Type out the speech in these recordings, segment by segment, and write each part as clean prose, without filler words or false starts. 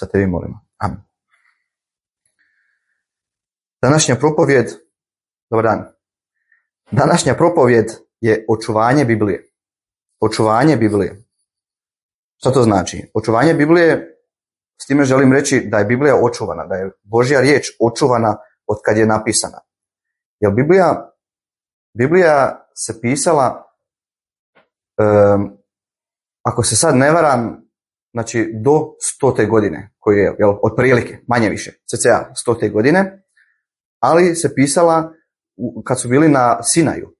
za tebi molimo. Amen. Današnja propovjed, dobar dan. Današnja propovjed je očuvanje Biblije. Očuvanje Biblije. Što to znači? Očuvanje Biblije, s time želim reći da je Biblija očuvana, da je Božja riječ očuvana od kad je napisana. Jer Biblija se pisala, ako se sad ne varam, znači do 100. godine, koji je, otprilike, manje više, cca 100. godine, ali se pisala kad su bili na Sinaju,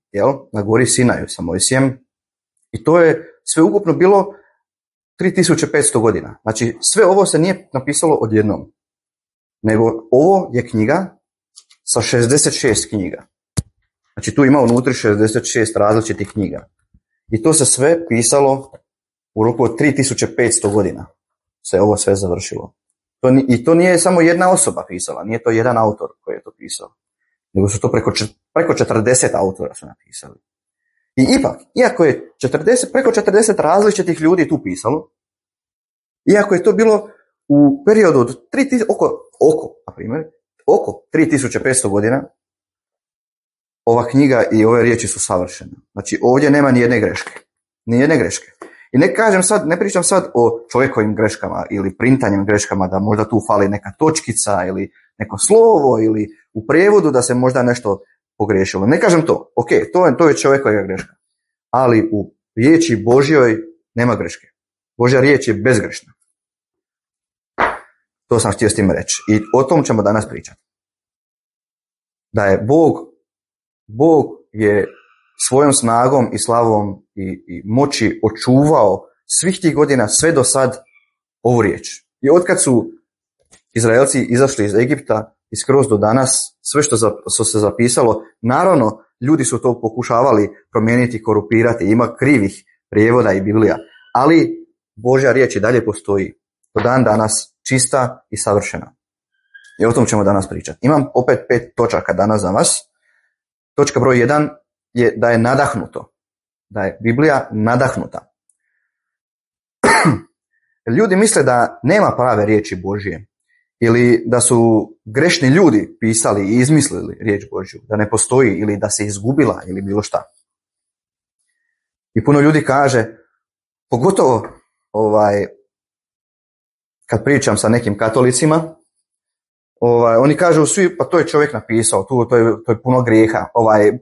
na gori Sinaju sa Mojsijem, i to je sve ukupno bilo 3500 godina. Znači, sve ovo se nije napisalo odjednom, nego ovo je knjiga sa 66 knjiga. Znači, tu ima unutri 66 različitih knjiga. I to se sve pisalo u roku od 3500 godina. Se ovo sve završilo. I to nije samo jedna osoba pisala, nije to jedan autor koji je to pisao, nego su to preko 40 autora su napisali. I ipak, iako je preko 40 različitih ljudi tu pisalo, iako je to bilo u periodu od oko 3500 godina, ova knjiga i ove riječi su savršene. Znači, ovdje nema ni jedne greške. Ni jedne greške. I ne pričam sad o čovjekovim greškama ili printanjem greškama, da možda tu fali neka točkica ili neko slovo ili u prijevodu da se možda nešto pogriješilo. Ne kažem to. Ok, to je čovjekova greška. Ali u riječi Božjoj nema greške. Božja riječ je bezgrešna. To sam htio s tim reći. I o tom ćemo danas pričati. Da je Bog je svojom snagom i slavom i moći očuvao svih tih godina sve do sad ovu riječ. I otkad su Izraelci izašli iz Egipta i skroz do danas, sve što se zapisalo, naravno ljudi su to pokušavali promijeniti, korupirati, ima krivih prijevoda i Biblija, ali Božja riječ i dalje postoji do dan danas čista i savršena. I o tom ćemo danas pričati. Imam opet 5 točaka danas za vas. Točka broj 1 je da je nadahnuto. Da je Biblija nadahnuta. Ljudi misle da nema prave riječi Božje ili da su grešni ljudi pisali i izmislili riječ Božju, da ne postoji ili da se izgubila ili bilo šta. I puno ljudi kaže, pogotovo kad pričam sa nekim katolicima, oni kažu svi, pa to je čovjek napisao, to je puno grijeha,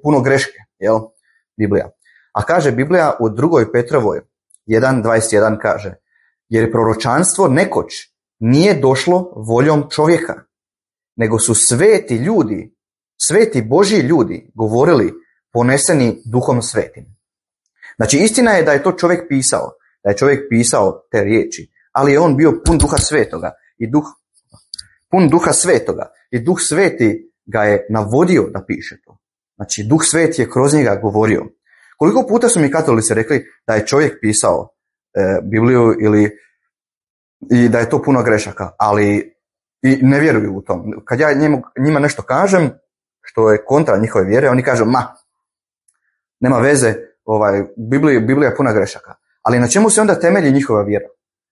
puno greške, Biblija. A kaže Biblija u 2. Petrovoj 1.21 kaže, jer proročanstvo nekoć nije došlo voljom čovjeka, nego su sveti Božji ljudi govorili poneseni Duhom Svetim. Znači, istina je da je to čovjek pisao, te riječi, ali je on bio pun Duha Svetoga i Duh Sveti ga je navodio da piše to. Znači, Duh Sveti je kroz njega govorio. Koliko puta su mi katolici rekli da je čovjek pisao Bibliju i da je to puno grešaka, ali i ne vjeruju u tom. Kad ja njima nešto kažem što je kontra njihove vjere, oni kažu, nema veze, Biblija je puna grešaka. Ali na čemu se onda temelji njihova vjera?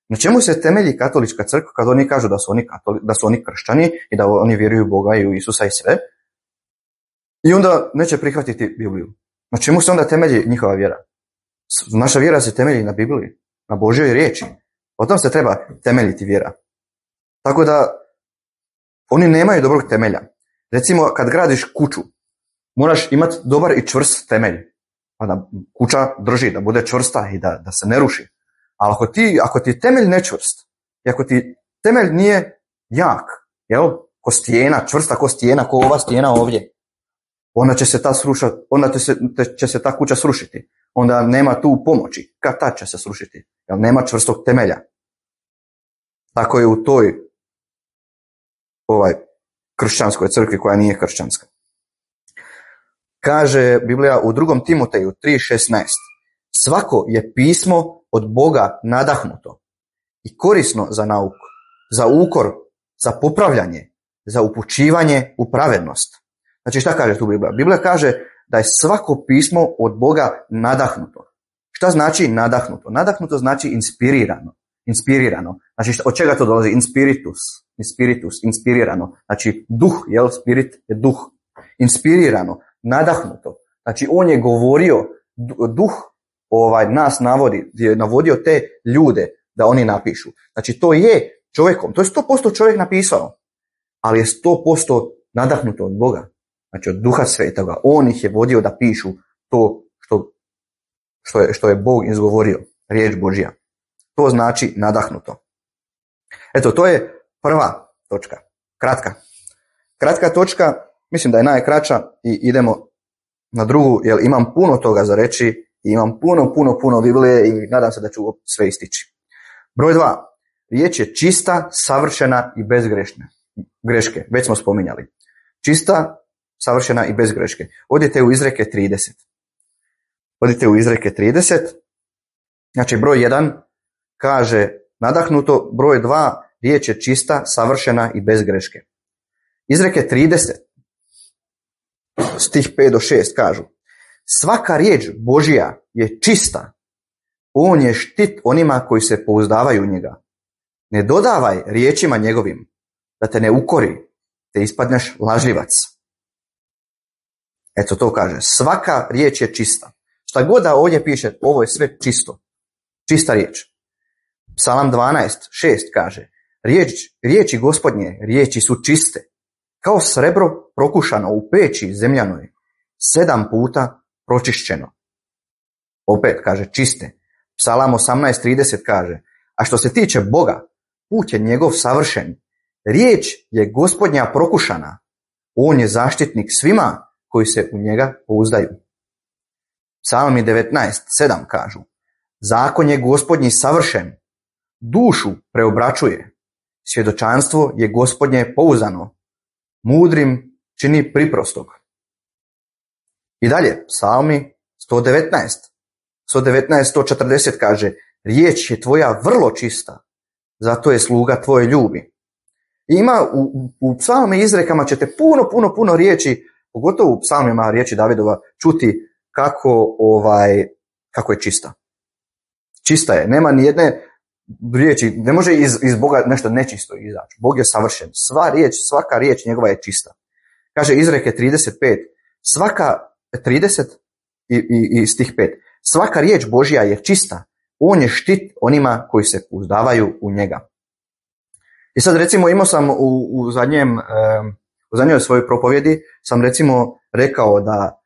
Na čemu se temelji katolička crkva kad oni kažu da su oni kršćani i da oni vjeruju u Boga i u Isusa i sve? I onda neće prihvatiti Bibliju. Na čemu se onda temelji njihova vjera? Naša vjera se temelji na Bibliji, na Božjoj riječi. O tom se treba temeljiti vjera. Tako da oni nemaju dobrog temelja. Recimo, kad gradiš kuću, moraš imati dobar i čvrst temelj. Pa da kuća drži, da bude čvrsta i da se ne ruši. Ali ako ti je temelj nečvrst, i ako ti temelj nije jak, ko stijena, čvrsta ko stijena, ko ova stijena ovdje, onda će se ta kuća srušiti. Onda nema tu pomoći. Kad tad će se srušiti? Jer nema čvrstog temelja. Tako je u toj kršćanskoj crkvi koja nije kršćanska. Kaže Biblija u 2. Timoteju 3.16. Svako je pismo od Boga nadahnuto i korisno za nauku, za ukor, za popravljanje, za upućivanje u pravednost. Znači, šta kaže tu Biblija? Biblija kaže da je svako pismo od Boga nadahnuto. Šta znači nadahnuto? Nadahnuto znači inspirirano. inspirirano. Znači, od čega to dolazi? Inspiritus, inspirirano. Znači, duh, spirit je duh. Inspirirano, nadahnuto. Znači, on je govorio, duh nas je navodio te ljude da oni napišu. Znači, to je čovjekom, to je 100% čovjek napisao, ali je 100% nadahnuto od Boga. Znači, od Duha Svetoga. On ih je vodio da pišu to što je Bog izgovorio, riječ Božja. To znači nadahnuto. Eto, to je prva točka. Kratka točka, mislim da je najkraća i idemo na drugu, jer imam puno toga za reći i imam puno Biblije i nadam se da ću sve istići. Broj 2. Riječ je čista, savršena i bez greške. Već smo spominjali. Čista, savršena i bez greške. Odite u Izreke 30. Znači, broj 1 kaže nadahnuto, broj 2 riječ je čista, savršena i bez greške. Izreke 30, stih 5 do 6 kažu: svaka riječ Božja je čista, on je štit onima koji se pouzdavaju u njega. Ne dodavaj riječima njegovim, da te ne ukori, te ispadneš lažljivac. Eto, to kaže, svaka riječ je čista. Šta god da ovdje piše, ovo je sve čisto. Čista riječ. Psalam 12:6 kaže: riječi Gospodnje, riječi su čiste, kao srebro prokušano u peći zemljanoj, 7 puta pročišćeno. Opet kaže čiste. Psalam 18:30 kaže: a što se tiče Boga, put je njegov savršen, riječ je Gospodnja prokušana, on je zaštitnik svima koji se u njega pouzdaju. Psalmi 19:7 kažu: zakon je Gospodnji savršen, dušu preobraćuje, svjedočanstvo je Gospodnje pouzdano, mudrim čini priprostog. I dalje, Psalmi 119:140 kaže: riječ je tvoja vrlo čista, zato je sluga tvoje ljubi. I ima u psalmi izrekama ćete puno riječi, pogotovo u psalmima riječi Davidova, čuti kako je čista. Čista je, nema ni jedne riječi, ne može iz Boga nešto nečisto izaći. Bog je savršen, svaka riječ njegova je čista. Kaže Izreke 30 i stih 5. Svaka riječ Božja je čista, on je štit onima koji se pouzdavaju u njega. I sad recimo imao sam u zadnjoj svojoj propovjedi sam recimo rekao da,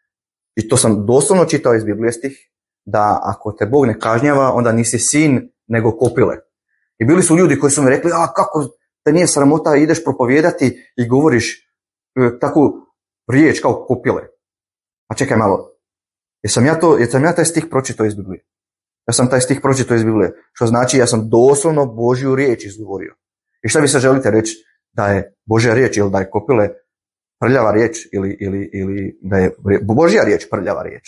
i to sam doslovno čitao iz Biblije stih, da ako te Bog ne kažnjava, onda nisi sin nego kopile. I bili su ljudi koji su mi rekli: kako te nije sramota, ideš propovijedati i govoriš takvu riječ kao kopile. A čekaj malo, jesam ja taj stih pročitao iz Biblije? Ja sam taj stih pročitao iz Biblije, što znači ja sam doslovno Božju riječ izgovorio. I šta vi se želite reći? Da je Božja riječ ili da je kopile prljava riječ ili da je Božja riječ prljava riječ?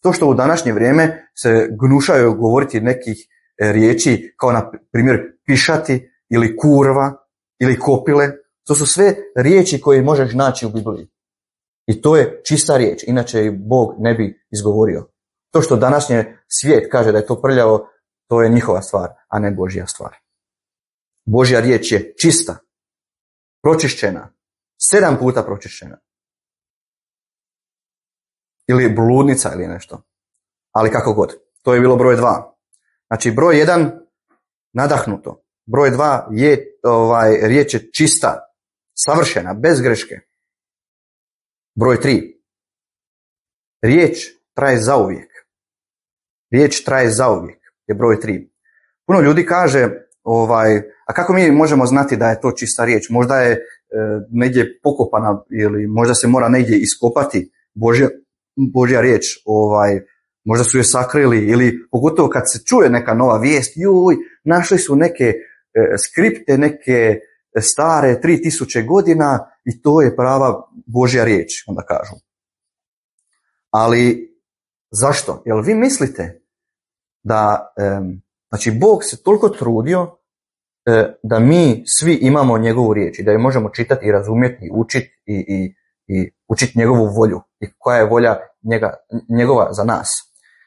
To što u današnje vrijeme se gnušaju govoriti nekih riječi kao na primjer pišati ili kurva ili kopile, to su sve riječi koje možeš naći u Bibliji. I to je čista riječ, inače i Bog ne bi izgovorio. To što današnji svijet kaže da je to prljavo, to je njihova stvar, a ne Božja stvar. Božja riječ je čista, pročišćena, 7 puta pročišćena. Ili bludnica ili nešto. Ali kako god. To je bilo broj 2. Znači broj 1 nadahnuto. Broj 2 je riječ je čista, savršena, bez greške. Broj 3. Riječ traje zauvijek. Riječ traje zauvijek je broj 3. Puno ljudi kaže, a kako mi možemo znati da je to čista riječ? Možda je negdje pokopana ili možda se mora negdje iskopati Božja riječ, možda su je sakrili ili pogotovo kad se čuje neka nova vijest, našli su neke skripte, neke stare 3000 godina i to je prava Božja riječ, onda kažu. Ali zašto? Jel vi mislite da znači Bog se toliko trudio da mi svi imamo njegovu riječ i da je možemo čitati i razumjeti i učiti i učiti njegovu volju i koja je volja njegova za nas.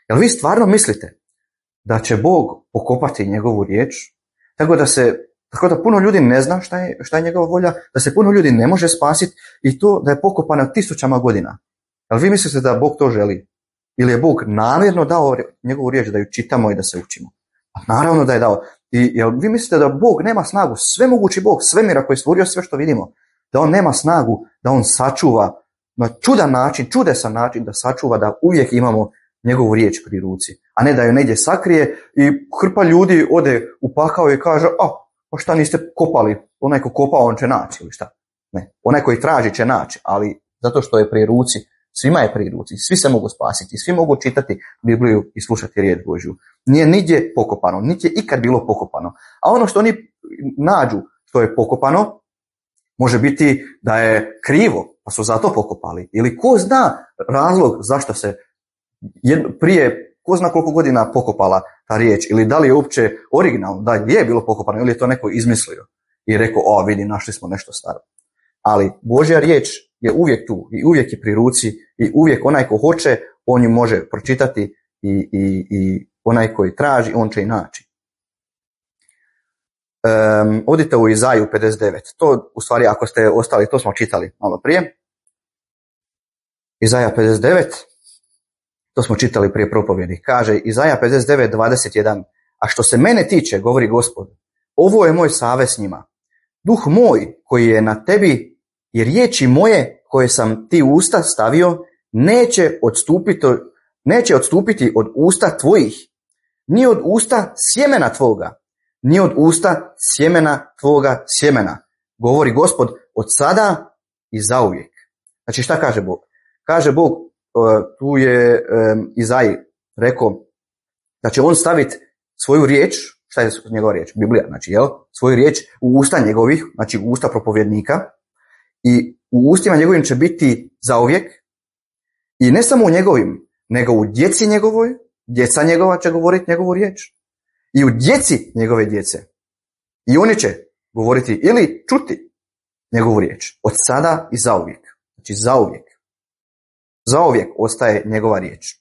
Jel vi stvarno mislite da će Bog pokopati njegovu riječ, Tako da puno ljudi ne zna šta je njegova volja, da se puno ljudi ne može spasiti i to da je pokopano 1000 godina. Ali vi mislite da Bog to želi? Ili je Bog namjerno dao njegovu riječ da ju čitamo i da se učimo? A naravno da je dao. I jel vi mislite da Bog nema snagu, svemogući Bog, svemira koji je stvorio sve što vidimo, da on nema snagu, da on sačuva na čudan način, čudesan način da sačuva, da uvijek imamo njegovu riječ pri ruci, a ne da ju negdje sakrije i hrpa ljudi ode u pakao i kaže, pa šta niste kopali, onaj ko kopa on će naći ili šta. Ne, onaj koji traži će naći, ali zato što je pri ruci, svima je pri ruci, svi se mogu spasiti, svi mogu čitati Bibliju i slušati riječ Božju. Nije nigdje pokopano, niti je ikad bilo pokopano. A ono što oni nađu što je pokopano, može biti da je krivo, pa su zato pokopali. Ili ko zna razlog zašto se prije, ko zna koliko godina pokopala ta riječ, ili da li je uopće originalno, da je bilo pokopano, ili je to neko izmislio i rekao, vidi, našli smo nešto staro. Ali Božja riječ je uvijek tu i uvijek je pri ruci i uvijek onaj ko hoće, on ju može pročitati i onaj koji traži, on će i naći. Odite u Izaju 59. To, u stvari, ako ste ostali, to smo čitali malo prije. Izaja 59. To smo čitali prije propovjedi. Kaže Izaja 59, 21. A što se mene tiče, govori Gospod, ovo je moj savez s njima. Duh moj koji je na tebi i riječi moje koje sam ti u usta stavio neće odstupiti od usta tvojih, ni od usta sjemena tvoga, ni od usta sjemena tvoga sjemena. Govori Gospod od sada i zauvijek. Znači šta kaže Bog? Kaže Bog, tu je Izaji rekao da će on staviti svoju riječ, šta je njegova riječ? Biblija, znači, svoju riječ u usta njegovih, znači u usta propovjednika, i u ustima njegovim će biti zauvijek, i ne samo u njegovim, nego u djeci njegovoj, djeca njegova će govoriti njegovu riječ, i u djeci njegove djece. I oni će govoriti ili čuti njegovu riječ od sada i zauvijek. Znači zauvijek. Zauvijek ostaje njegova riječ.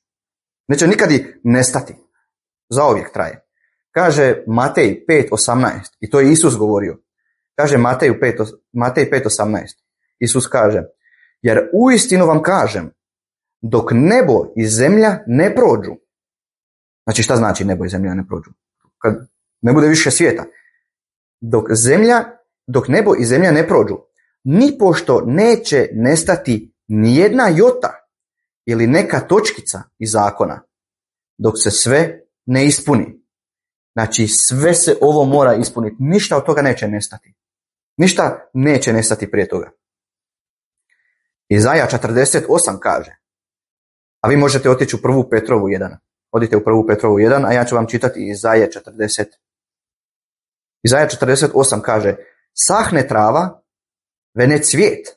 Neće nikad i nestati. Zauvijek traje. Kaže Matej 5.18, i to je Isus govorio. Kaže Matej 5.18. Isus kaže, jer uistinu vam kažem, dok nebo i zemlja ne prođu. Znači šta znači nebo i zemlja ne prođu? Kad ne bude više svijeta. Dok nebo i zemlja ne prođu, nipošto neće nestati nijedna jota ili neka točkica iz zakona, dok se sve ne ispuni. Znači sve se ovo mora ispuniti. Ništa od toga neće nestati. Ništa neće nestati prije toga. Izaja 48 kaže, a vi možete otići u 1. Petrovu 1. Odite u 1. Petrovu 1, a ja ću vam čitati Izaje 40. Izaja 48 kaže, sahne trava, vene cvijet,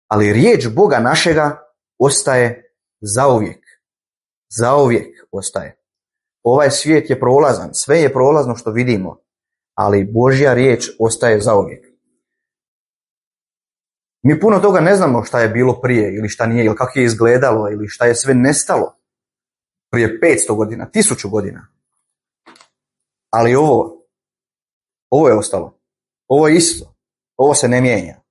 ali riječ Boga našega ostaje zauvijek. Zauvijek ostaje. Ovaj svijet je prolazan, sve je prolazno što vidimo, ali Božja riječ ostaje zauvijek. Mi puno toga ne znamo šta je bilo prije ili šta nije, ili kako je izgledalo, ili šta je sve nestalo prije 500 godina, 1000 godina. Ali ovo je ostalo. Ovo je isto. Ovo se ne mijenja.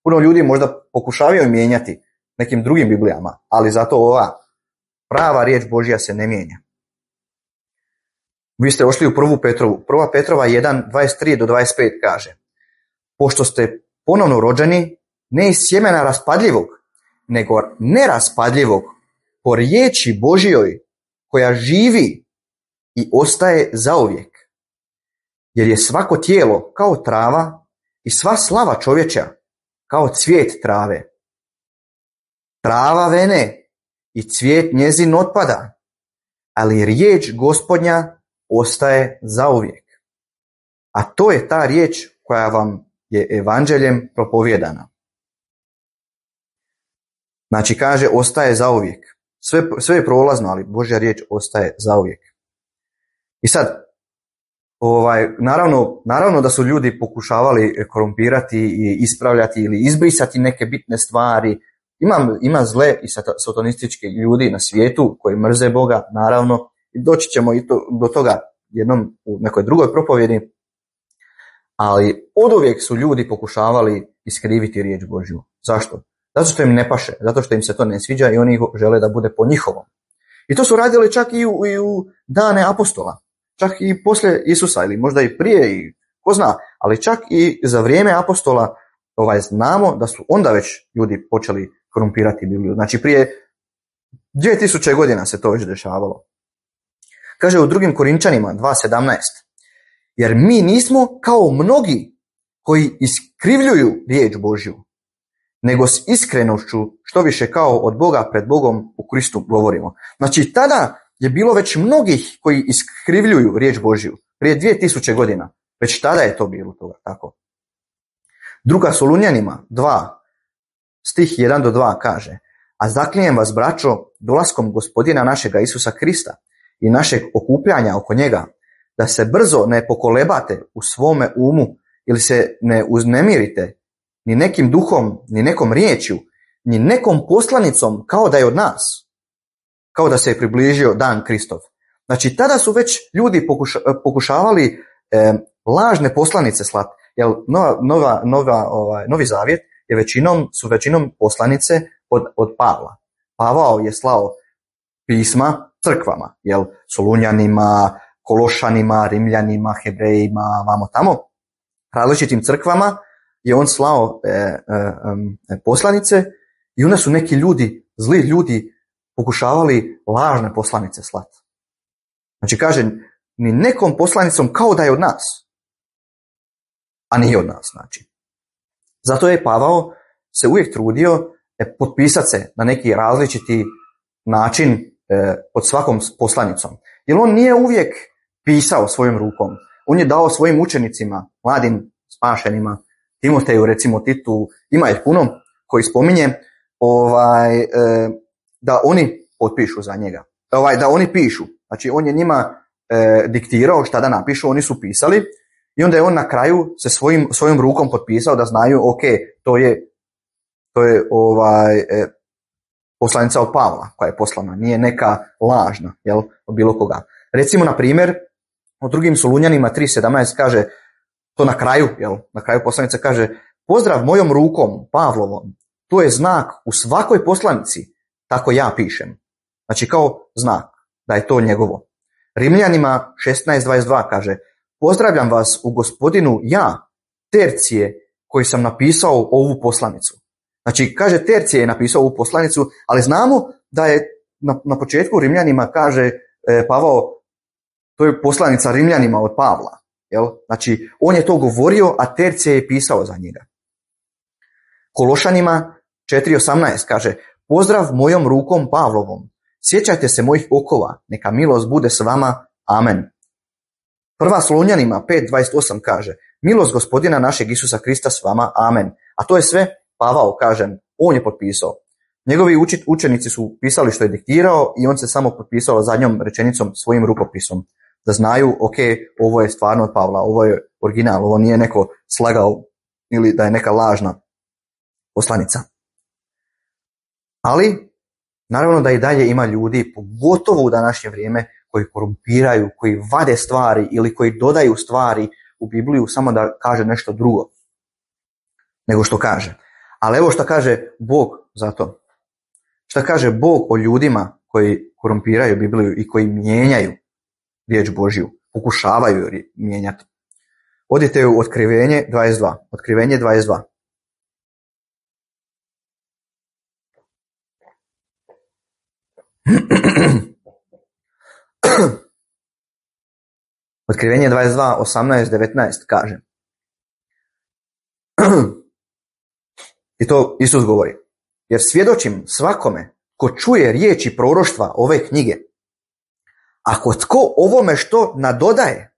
Puno ljudi možda pokušavaju mijenjati nekim drugim Biblijama, ali zato ova prava riječ Božja se ne mijenja. Vi ste ošli u 1. Petrovu. 1. Petrova 1, 23 do 25 kaže, pošto ste ponovno rođeni, ne iz sjemena raspadljivog, nego neraspadljivog, po riječi Božjoj, koja živi i ostaje zauvijek. Jer je svako tijelo kao trava i sva slava čovječa kao cvijet trave. Trava vene i cvijet njezin otpada, ali riječ Gospodnja ostaje zauvijek. A to je ta riječ koja vam je evanđeljem propovjedana. Znači kaže ostaje zauvijek. Sve je prolazno, ali Božja riječ ostaje zauvijek. I sad, naravno da su ljudi pokušavali korumpirati i ispravljati ili izbrisati neke bitne stvari. Ima zle i satanistički ljudi na svijetu koji mrze Boga, naravno. I doći ćemo i do toga jednom u nekoj drugoj propovjedi. Ali oduvijek su ljudi pokušavali iskriviti riječ Božju. Zašto? Zato što im ne paše, zato što im se to ne sviđa i oni žele da bude po njihovom. I to su radili čak i u dane apostola. Čak i poslije Isusa ili možda i prije i ko zna, ali čak i za vrijeme apostola znamo da su onda već ljudi počeli korumpirati Bibliju. Znači prije 2000 godina se to već dešavalo. Kaže u 2. Korinčanima 2.17. Jer mi nismo kao mnogi koji iskrivljuju riječ Božju, nego s iskrenošću što više kao od Boga pred Bogom u Kristu govorimo. Znači tada je bilo već mnogih koji iskrivljuju riječ Božju. Prije 2000 godina. Već tada je to bilo toga tako. 2. Solunjanima 2, stih 1 do 2 kaže: A zaklinjem vas, braćo, dolaskom Gospodina našega Isusa Krista i našeg okupljanja oko njega, da se brzo ne pokolebate u svome umu ili se ne uznemirite ni nekim duhom, ni nekom riječju, ni nekom poslanicom kao da je od nas, kao da se je približio dan Kristov. Znači tada su već ljudi pokušavali lažne poslanice slati, jer Novi Zavjet su većinom poslanice od Pavla. Pavao je slao pisma crkvama, Solunjanima, Kološanima, Rimljanima, Hebrejima, vamo tamo, različitim crkvama je on slao poslanice i onda su neki ljudi, zli ljudi, pokušavali lažne poslanice slati. Znači kaže, ni nekom poslanicom kao da je od nas, a nije od nas. Znači. Zato je Pavao se uvijek trudio potpisati se na neki različiti način pod svakom poslanicom. Jer on nije uvijek pisao svojom rukom. On je dao svojim učenicima, mladim spašenima, Timoteju, recimo Titu, ima ih puno koji spominje da oni potpišu za njega. Da oni pišu. Znači on je njima diktirao šta da napišu, oni su pisali i onda je on na kraju se svojom rukom potpisao da znaju, ok, to je poslanica od Pavla koja je poslana, nije neka lažna, od bilo koga. Recimo, na primjer, u 2. Solunjanima 3.17 kaže, to na kraju poslanica kaže: pozdrav mojom rukom, Pavlovom, to je znak u svakoj poslanici, tako ja pišem. Znači kao znak da je to njegovo. Rimljanima 16.22 kaže: pozdravljam vas u Gospodinu ja, Tercije, koji sam napisao ovu poslanicu. Znači kaže Tercije je napisao ovu poslanicu, ali znamo da je na početku Rimljanima kaže Pavao, to je poslanica Rimljanima od Pavla. Znači on je to govorio, a Tercije je pisao za njega. Kološanima 4.18 kaže: pozdrav mojom rukom Pavlovom, sjećajte se mojih okova, neka milost bude s vama, amen. 1. Solunjanima 5.28 kaže: milost Gospodina našeg Isusa Krista s vama, amen. A to je sve Pavao, kažem, on je potpisao. Njegovi učenici su pisali što je diktirao i on se samo potpisao zadnjom rečenicom svojim rukopisom. Da znaju, ok, ovo je stvarno od Pavla, ovo je original, ovo nije neko slagao ili da je neka lažna poslanica. Ali, naravno da i dalje ima ljudi, pogotovo u današnje vrijeme, koji korumpiraju, koji vade stvari ili koji dodaju stvari u Bibliju samo da kaže nešto drugo nego što kaže. Ali evo što kaže Bog za to. Šta kaže Bog o ljudima koji korumpiraju Bibliju i koji mijenjaju riječ Božju, pokušavaju ju mijenjati. Odite u Otkrivenje 22. Otkrivenje 22. Otkrivenje 22, 18, 19 kaže. I to Isus govori. Jer svjedočim svakome ko čuje riječi proroštva ove knjige. Ako tko ovome što nadodaje,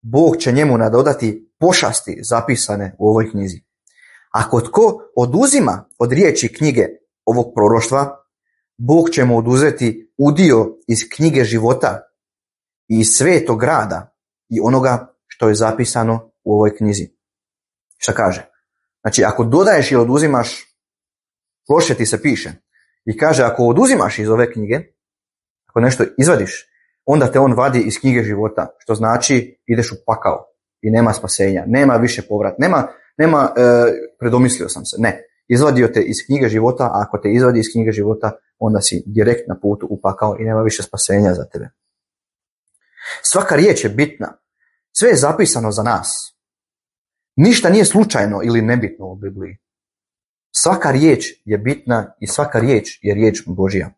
Bog će njemu nadodati pošasti zapisane u ovoj knjizi. Ako tko oduzima od riječi knjige ovog proroštva, Bog će mu oduzeti udio iz knjige života i iz svetog grada i onoga što je zapisano u ovoj knjizi. Šta kaže? Znači, ako dodaješ ili oduzimaš, loše ti se piše. I kaže, ako oduzimaš iz ove knjige, ako nešto izvadiš, onda te on vadi iz knjige života, što znači ideš u pakao i nema spasenja, nema više povrat, nema predomislio sam se, ne. Izvadio te iz knjige života, a ako te izvadi iz knjige života, onda si direkt na putu u pakao i nema više spasenja za tebe. Svaka riječ je bitna. Sve je zapisano za nas. Ništa nije slučajno ili nebitno u Bibliji. Svaka riječ je bitna i svaka riječ je riječ Božja.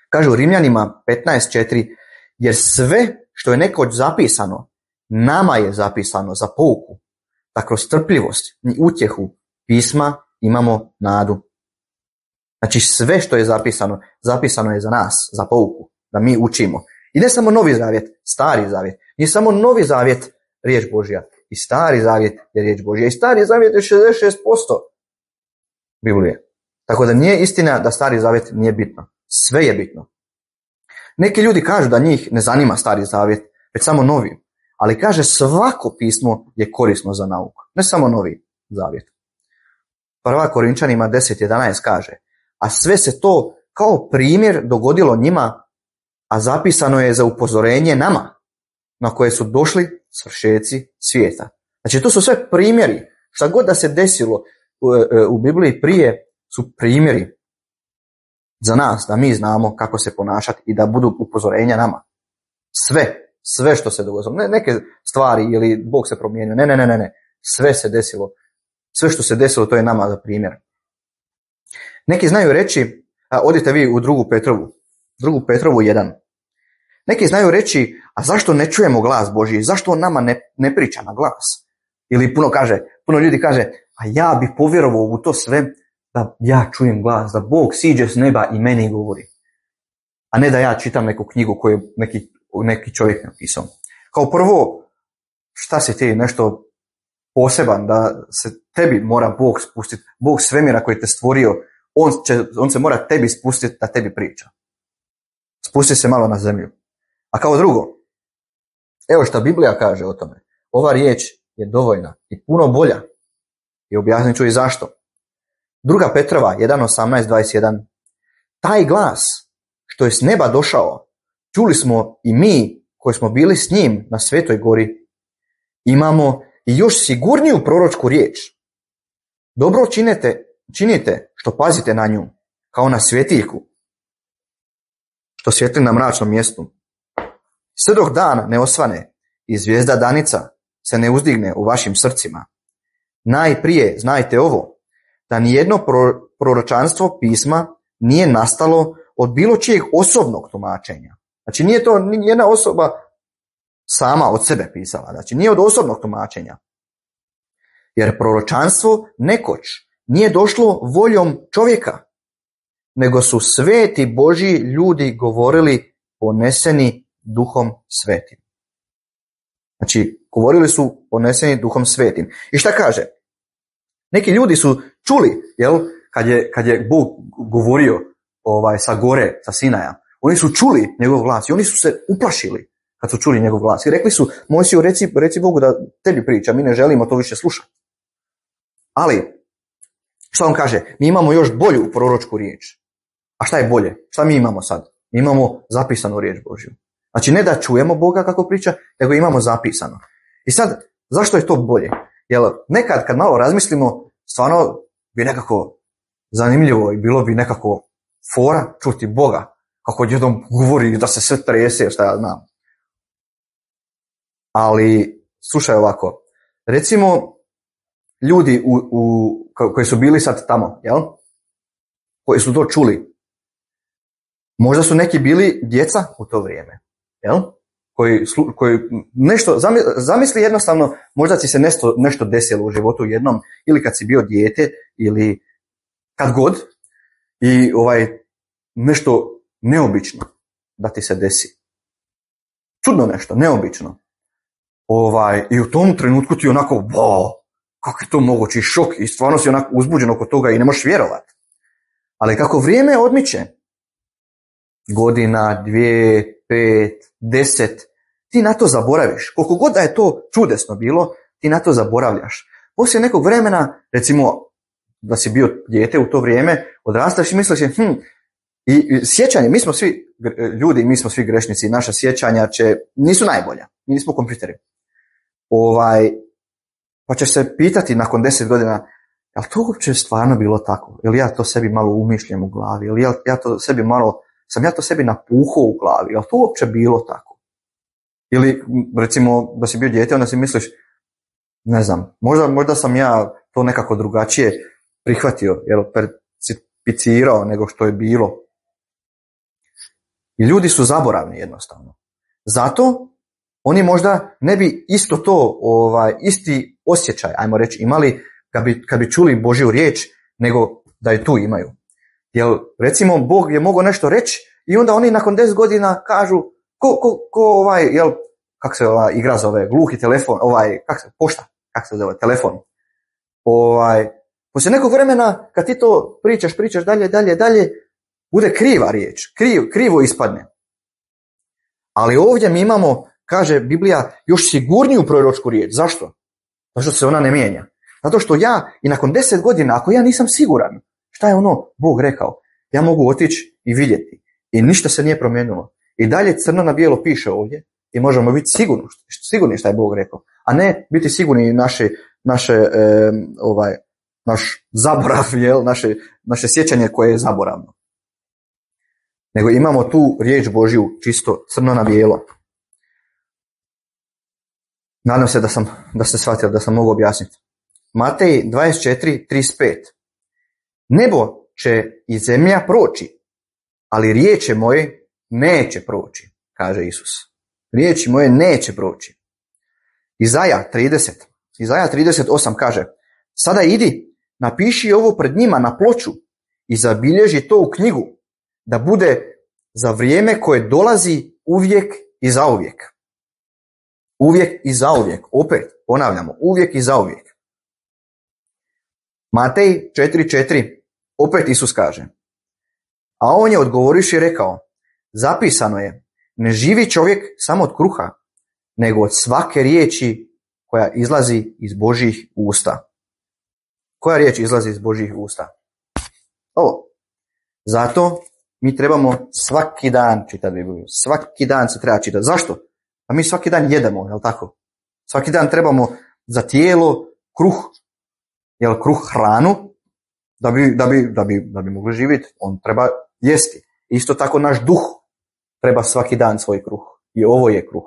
Kaže u Rimljanima 15.4, jer sve što je nekoć zapisano, nama je zapisano za pouku, da kroz strpljivost i utjehu pisma imamo nadu. Znači sve što je zapisano, zapisano je za nas, za pouku, da mi učimo. I ne samo Novi zavjet, Stari zavjet. Nije samo Novi zavjet riječ Božja, i Stari zavjet je riječ Božja. I Stari zavjet je 66% Biblije. Tako da nije istina da Stari zavjet nije bitno. Sve je bitno. Neki ljudi kažu da njih ne zanima Stari zavjet, već samo Novi. Ali kaže svako pismo je korisno za nauku. Ne samo Novi zavjet. 1. Korinčanima 10.11 kaže, a sve se to kao primjer dogodilo njima, a zapisano je za upozorenje nama, na koje su došli svršeci svijeta. Znači to su sve primjeri. Šta god da se desilo u Bibliji prije su primjeri za nas, da mi znamo kako se ponašati i da budu upozorenja nama. Sve što se dogodilo. Ne neke stvari ili Bog se promijenio. Ne. Sve se desilo. Sve što se desilo to je nama za primjer. Neki znaju reći, odite vi u 2. Petrovu 1. Neki znaju reći, a zašto ne čujemo glas Božji? Zašto on nama ne priča na glas? Ili puno ljudi kaže, a ja bi povjerovao u to sve da ja čujem glas, da Bog siđe s neba i meni govori. A ne da ja čitam neku knjigu koju neki čovjek napisao. Kao prvo, šta si ti nešto poseban, da se tebi mora Bog spustiti, Bog svemira koji te stvorio, on se mora tebi spustiti da tebi priča. Spusti se malo na zemlju. A kao drugo, evo šta Biblija kaže o tome. Ova riječ je dovoljna i puno bolja. I objasnit ću i zašto. 2. Petrova 1.18.21. Taj glas što je s neba došao, čuli smo i mi koji smo bili s njim na Svetoj gori. Imamo i još sigurniju proročku riječ. Dobro činite što pazite na nju, kao na svjetiljku, što svijetli na mračnom mjestu. Sve dok dan ne osvane i zvijezda danica se ne uzdigne u vašim srcima. Najprije znajte ovo, da nijedno proročanstvo pisma nije nastalo od bilo čijeg osobnog tumačenja. Znači nije to nijedna osoba sama od sebe pisala, znači nije od osobnog tumačenja. Jer proročanstvo nekoć nije došlo voljom čovjeka, nego su sveti Božji ljudi govorili poneseni Duhom Svetim. Znači, govorili su poneseni Duhom Svetim. I šta kaže? Neki ljudi su čuli, kad je Bog govorio sa gore, sa Sinaja, oni su čuli njegov glas i oni su se uplašili kad su čuli njegov glas. I rekli su, Mojsiju, reci Bogu da tebi priča, mi ne želimo to više slušati. Ali, šta on kaže? Mi imamo još bolju proročku riječ. A šta je bolje? Šta mi imamo sad? Mi imamo zapisanu riječ Božju. Znači ne da čujemo Boga kako priča, nego imamo zapisano. I sad, zašto je to bolje? Jer nekad kad malo razmislimo, stvarno bi nekako zanimljivo i bilo bi nekako fora čuti Boga kako jednom govori da se sve trese, šta ja znam. Ali, slušaj ovako, recimo ljudi koji su bili sad tamo, koji su to čuli, možda su neki bili djeca u to vrijeme, koji nešto, zamisli jednostavno, možda ti se nešto desilo u životu jednom, ili kad si bio dijete, ili kad god, i nešto neobično da ti se desi. Čudno nešto, neobično. I u tom trenutku ti onako, kako je to moguće, šok, i stvarno si onako uzbuđen oko toga i ne možeš vjerovati. Ali kako vrijeme odmiče, godina, 2, 5, 10, ti na to zaboraviš. Koliko god da je to čudesno bilo, ti na to zaboravljaš. Poslije nekog vremena, recimo da si bio dijete u to vrijeme, odrastaš i misliš, i sjećanje, mi smo svi ljudi, mi smo svi grešnici, naša sjećanja nisu najbolja, mi nismo kompjuteri. Pa ćeš se pitati nakon 10 godina, je li to uopće stvarno bilo tako? Je li ja to sebi malo umišljam u glavi? Je li ja to sebi malo, sam ja to sebi napuhao u glavi? Je li to uopće bilo tako? Ili, recimo, da si bio dijete, onda si misliš, ne znam, možda sam ja to nekako drugačije prihvatio, percipicirao nego što je bilo. I ljudi su zaboravni jednostavno. Zato oni možda ne bi isto to, isti osjećaj, ajmo reći, imali kad bi čuli Božju riječ, nego da je tu imaju. Jer, recimo, Bog je mogao nešto reći i onda oni nakon 10 godina kažu, kako se igra zove, gluhi telefon, pošta, kako se zove, telefon. Poslije nekog vremena, kad ti to pričaš dalje, bude kriva riječ, krivo ispadne. Ali ovdje mi imamo, kaže Biblija, još sigurniju proročku riječ. Zašto? Zato što se ona ne mijenja. Zato što ja i nakon 10 godina, ako ja nisam siguran šta je ono Bog rekao, ja mogu otići i vidjeti. I ništa se nije promijenilo. I dalje crno na bijelo piše ovdje i možemo biti sigurni šta je Bog rekao. A ne biti sigurni naš zaborav, naše sjećanje koje je zaboravno. Nego imamo tu riječ Božju čisto crno na bijelo. Nadam se da ste shvatili, da sam mogu objasniti. Matej 24:35. Nebo će i zemlja proći, ali riječi moje neće proći, kaže Isus. Riječi moje neće proći. Izaja 30:8 kaže, sada idi, napiši ovo pred njima na ploču i zabilježi to u knjigu, da bude za vrijeme koje dolazi uvijek i zauvijek. Uvijek i zauvijek. Opet ponavljamo, uvijek i zauvijek. Matej 4:4. Opet Isus kaže, a on je odgovoriš i rekao, zapisano je, ne živi čovjek samo od kruha, nego od svake riječi koja izlazi iz Božjih usta. Koja riječ izlazi iz Božjih usta? Ovo. Zato mi trebamo svaki dan čitati Bibliju. Svaki dan se treba čitati. Zašto? A mi svaki dan jedemo, jel tako? Svaki dan trebamo za tijelo kruh, kruh hranu, da bi mogli živjeti. On treba jesti. Isto tako naš duh treba svaki dan svoj kruh. I ovo je kruh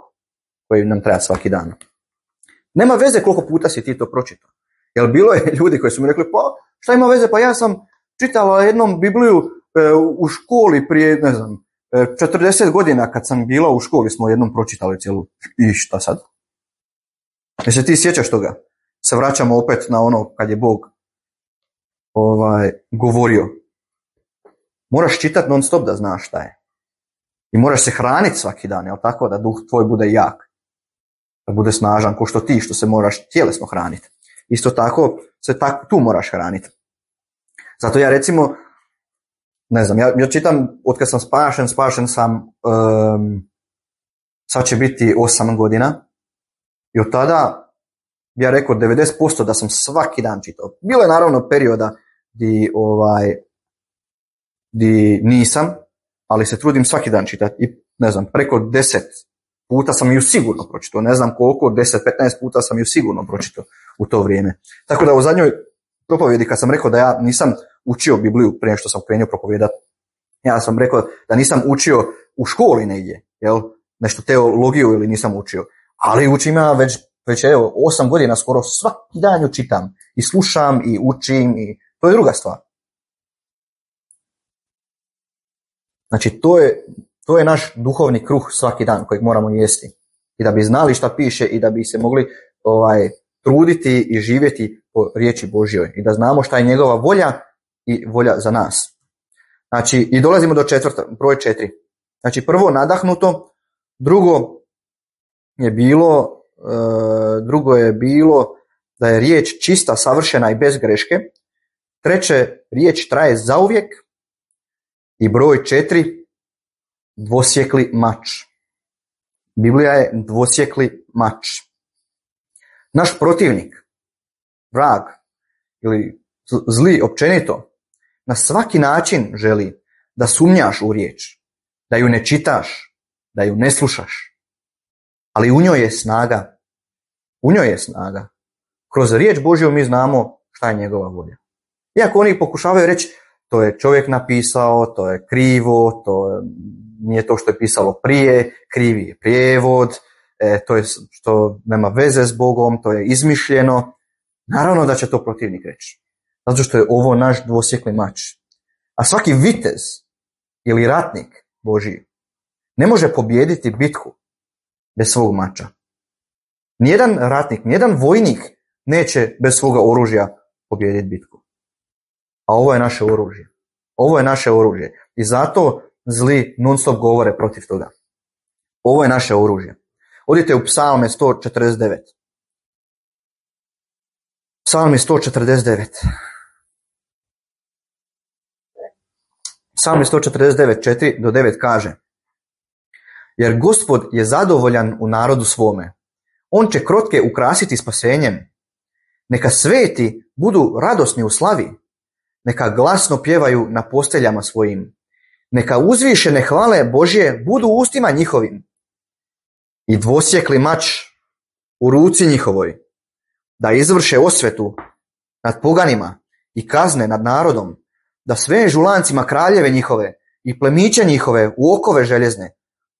koji nam treba svaki dan. Nema veze koliko puta si ti to pročitao. Jer bilo je ljudi koji su mi rekli, pa šta ima veze, pa ja sam čitala jednom Bibliju u školi prije, 40 godina kad sam bila u školi smo jednom pročitali cijelu. I šta sad? Jel se ti sjećaš toga? Se vraćamo opet na ono kad je Bog govorio. Moraš čitati non stop da znaš šta je. I moraš se hraniti svaki dan, jel tako? Da duh tvoj bude jak. Da bude snažan, ko što ti, što se moraš tjelesno hraniti. Isto tako se tu moraš hraniti. Zato ja recimo, ja čitam, od kad sam spašen sam, sad će biti 8 godina. I od tada, ja rekao 90% da sam svaki dan čitao. Bilo je naravno perioda di nisam, ali se trudim svaki dan čitati. I preko 10 puta sam ju sigurno pročitao. Ne znam koliko, 10-15 puta sam ju sigurno pročitao u to vrijeme. Tako da u zadnjoj propovjedi kad sam rekao da ja nisam učio Bibliju prije što sam krenio propovijedati, ja sam rekao da nisam učio u školi negdje, nešto teologiju ili nisam učio, ali učim ja već 8 godina skoro svaki dan ju čitam i slušam i učim i to je druga stvar. Znači to je naš duhovni kruh svaki dan kojeg moramo jesti. I da bi znali šta piše i da bi se mogli truditi i živjeti po riječi Božjoj. I da znamo šta je njegova volja i volja za nas. Znači, i dolazimo do broj 4. Znači, prvo nadahnuto, drugo je bilo da je riječ čista, savršena i bez greške. Treće, riječ traje zauvijek. I broj 4, dvosjekli mač. Biblija je dvosjekli mač. Naš protivnik, vrag ili zli općenito, na svaki način želi da sumnjaš u riječ, da ju ne čitaš, da ju ne slušaš. Ali u njoj je snaga. U njoj je snaga. Kroz riječ Božju mi znamo šta je njegova volja. Iako oni pokušavaju reći to je čovjek napisao, to je krivo, to nije to što je pisalo prije, krivi je prijevod, to je što nema veze s Bogom, to je izmišljeno. Naravno da će to protivnik reći. Zato što je ovo naš dvosjekli mač. A svaki vitez ili ratnik Božji ne može pobijediti bitku bez svog mača. Nijedan ratnik, nijedan vojnik neće bez svoga oružja pobijediti bitku. A ovo je naše oružje. Ovo je naše oružje. I zato zli non stop govore protiv toga. Ovo je naše oružje. Odite u Psalme 149. Psalmi 149. Psalmi 149, 4 do 9 kaže: jer Gospod je zadovoljan u narodu svome. On će krotke ukrasiti spasenjem. Neka sveti budu radosni u slavi. Neka glasno pjevaju na posteljama svojim. Neka uzvišene hvale Božje budu u ustima njihovim. I dvosjekli mač u ruci njihovoj, da izvrše osvetu nad poganima i kazne nad narodom, da svežu lancima kraljeve njihove i plemiće njihove u okove željezne,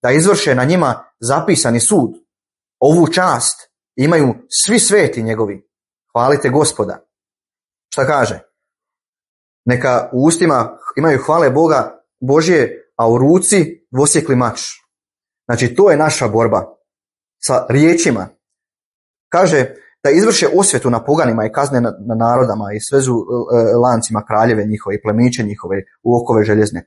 da izvrše na njima zapisani sud. Ovu čast imaju svi sveti njegovi. Hvalite Gospoda. Šta kaže? Neka u ustima imaju hvale Boga Božje, a u ruci dvosjekli mač. Znači to je naša borba sa riječima. Kaže da izvrše osvetu na poganima i kazne na narodama i svezu lancima kraljeve njihove i plemiće njihove u okove željezne.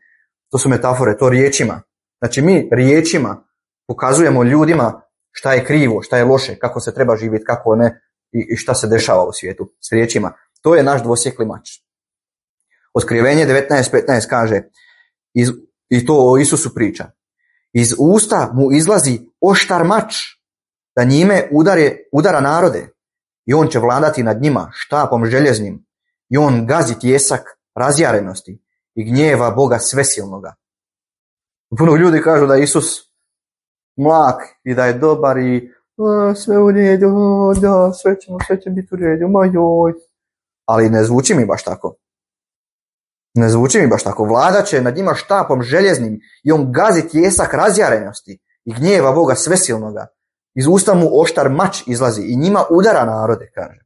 To su metafore, to riječima. Znači mi riječima pokazujemo ljudima šta je krivo, šta je loše, kako se treba živjeti, kako ne i šta se dešava u svijetu s riječima. To je naš dvosjekli mač. Otkrivenje 19.15 kaže, i to o Isusu priča, iz usta mu izlazi oštar mač, da njime udara narode, i on će vladati nad njima štapom željeznim, i on gazi tjesak razjarenosti i gnjeva Boga svesilnoga. Puno ljudi kažu da je Isus mlak i da je dobar i sve u redu, da, sve će biti u redu, joj. Ali ne zvuči mi baš tako. Ne zvuči mi baš tako. Vladat će nad njima štapom željeznim i on gazi tjesak razjarenosti i gnjeva Boga svesilnoga. Iz usta mu oštar mač izlazi i njima udara narode, kaže.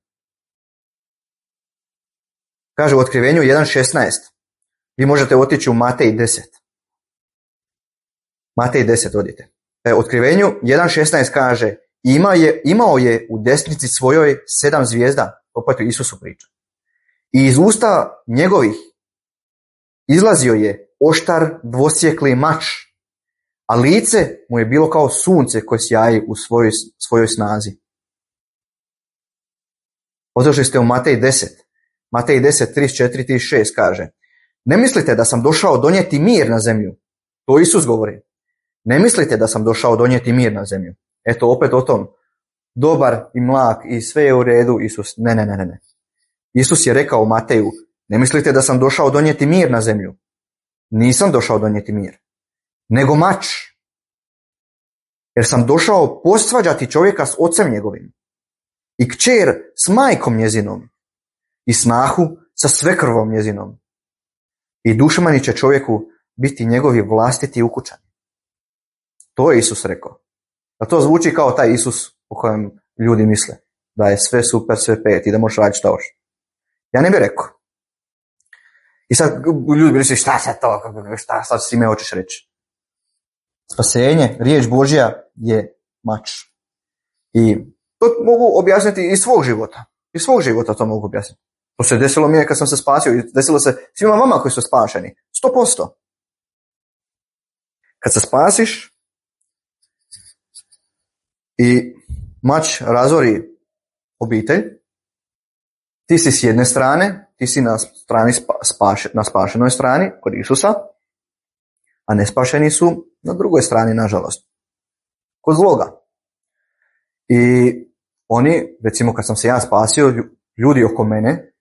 Kaže u Otkrivenju 1.16. Vi možete otići u Matej 10. Matej 10 odite. Otkrivenju 1.16 kaže, imao je u desnici svojoj 7 zvijezda, opet u Isusu priča. I iz usta njegovih izlazio je oštar dvosjekli mač, a lice mu je bilo kao sunce koje sjaji u svojoj snazi. Otišli ste u Matej 10. Matej 10, 34-36 kaže, ne mislite da sam došao donijeti mir na zemlju. To Isus govori. Ne mislite da sam došao donijeti mir na zemlju. Eto, opet o tom. Dobar i mlak i sve je u redu. Isus, ne. Isus je rekao u Mateju, ne mislite da sam došao donijeti mir na zemlju. Nisam došao donijeti mir, nego mač. Jer sam došao posvađati čovjeka s ocem njegovim i kćer s majkom njezinom i snahu sa svekrvom njezinom. I dušmani će čovjeku biti njegovi vlastiti ukućani. To je Isus rekao. A to zvuči kao taj Isus o kojem ljudi misle. Da je sve super, sve pet i da možeš raditi šta hoćeš. Ja ne bih rekao. I sad ljudi bi misli šta sad to, šta sad s time hoćeš reći. Spasenje, riječ Božja je mač. I to mogu objasniti iz svog života. Iz svog života to mogu objasniti. To se desilo mi kad sam se spasio i desilo se svima vama koji su spašeni. 100%. Kad se spasiš i mač razori obitelj, ti si s jedne strane, ti si na strani na spašenoj strani kod Isusa, a nespašeni su na drugoj strani, nažalost, kod zloga. I oni, recimo kad sam se ja spasio, ljudi oko mene,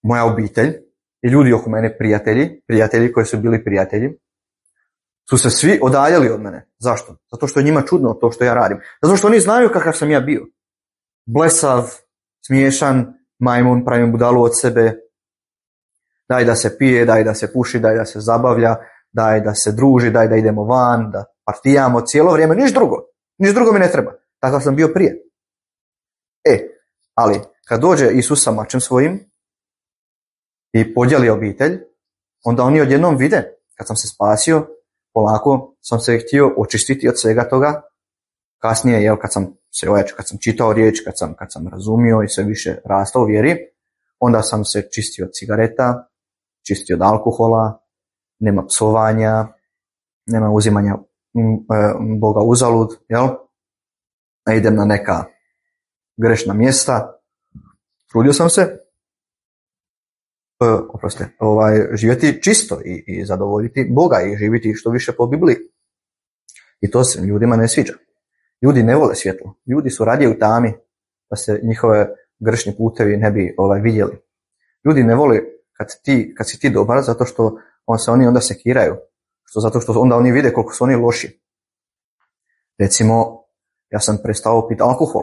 moja obitelj i ljudi oko mene, prijatelji koji su bili prijatelji, su se svi odaljali od mene. Zašto? Zato što je njima čudno to što ja radim. Zato što oni znaju kakav sam ja bio. blesav, smiješan majmun, pravim budalu od sebe, daj da se pije, daj da se puši, daj da se zabavlja, daj da se druži, daj da idemo van, da partijamo cijelo vrijeme, niš drugo mi ne treba. Takav sam bio prije. Ali kad dođe Isus sa mačem svojim i podijeli obitelj, onda oni odjednom vide, kad sam se spasio, polako sam se htio očistiti od svega toga. Kasnije, kad sam se ojačao, kad sam čitao riječ, kad sam razumio i sve više rastao u vjeri, onda sam se čistio od cigareta, čistio od alkohola, nema psovanja, nema uzimanja Boga uzalud, idem na neka grešna mjesta. Trudio sam se živjeti čisto i zadovoljiti Boga i živjeti što više po Bibliji. I to se ljudima ne sviđa. Ljudi ne vole svjetlo. Ljudi su radije u tami da se njihove grešni putevi ne bi vidjeli. Ljudi ne vole kad si ti dobar, zato što oni onda sekiraju. Zato što onda oni vide koliko su oni loši. Recimo, ja sam prestao piti alkohol.